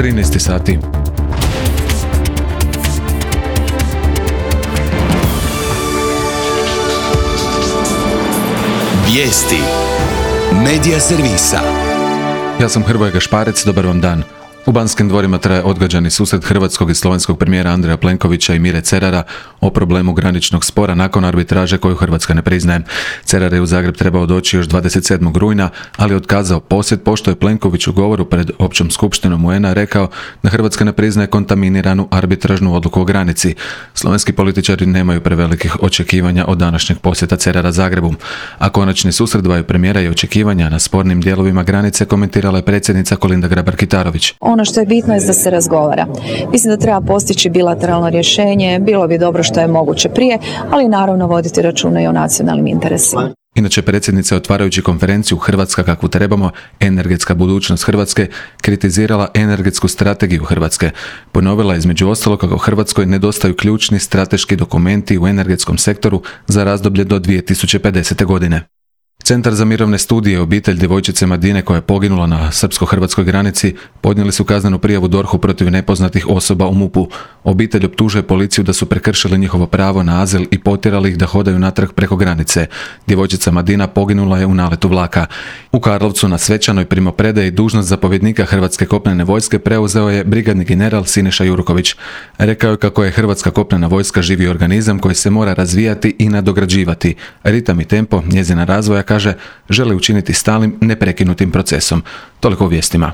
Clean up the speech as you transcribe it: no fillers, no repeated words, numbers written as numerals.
13 sati. Vijesti Medija servisa. Ja sam Hrvoje Gašparec, dobar vam dan. U Banskim dvorima traje odgađani susret hrvatskog i slovenskog premijera Andreja Plenkovića i Mire Cerara o problemu graničnog spora nakon arbitraže koju Hrvatska ne priznaje. Cerar je u Zagreb trebao doći još 27. rujna, ali otkazao posjet pošto je Plenković u govoru pred općom skupštinom UN-a rekao da Hrvatska ne priznaje kontaminiranu arbitražnu odluku o granici. Slovenski političari nemaju prevelikih očekivanja od današnjeg posjeta Cerara Zagrebu. A konačni susret dvaju premijera i očekivanja na spornim dijelovima granice komentirala je predsjednica Kolinda Grabar-Kitarović. Ono što je bitno je da se razgovara. Mislim da treba postići bilateralno rješenje, bilo bi dobro što je moguće prije, ali naravno voditi računa i o nacionalnim interesima. Inače, predsjednica je otvarajući konferenciju Hrvatska kakvu trebamo, energetska budućnost Hrvatske, kritizirala energetsku strategiju Hrvatske. Ponovila je između ostalog kako Hrvatskoj nedostaju ključni strateški dokumenti u energetskom sektoru za razdoblje do 2050. godine. Centar za mirovne studije i obitelj djevojčice Madine koja je poginula na srpsko-hrvatskoj granici podnijeli su kaznenu prijavu DORH-u protiv nepoznatih osoba u MUP-u. Obitelj optužuje policiju da su prekršili njihovo pravo na azil i potjerali ih da hodaju natrag preko granice. Djevojčica Madina poginula je u naletu vlaka. U Karlovcu na svečanoj primopredaji dužnost zapovjednika Hrvatske kopnene vojske preuzeo je brigadni general Siniša Jurković. Rekao je kako je Hrvatska kopnena vojska živi organizam koji se mora razvijati i nadograđivati. Ritam i tempo njezina razvoja, kaže, žele učiniti stalnim, neprekinutim procesom. Toliko u vijestima.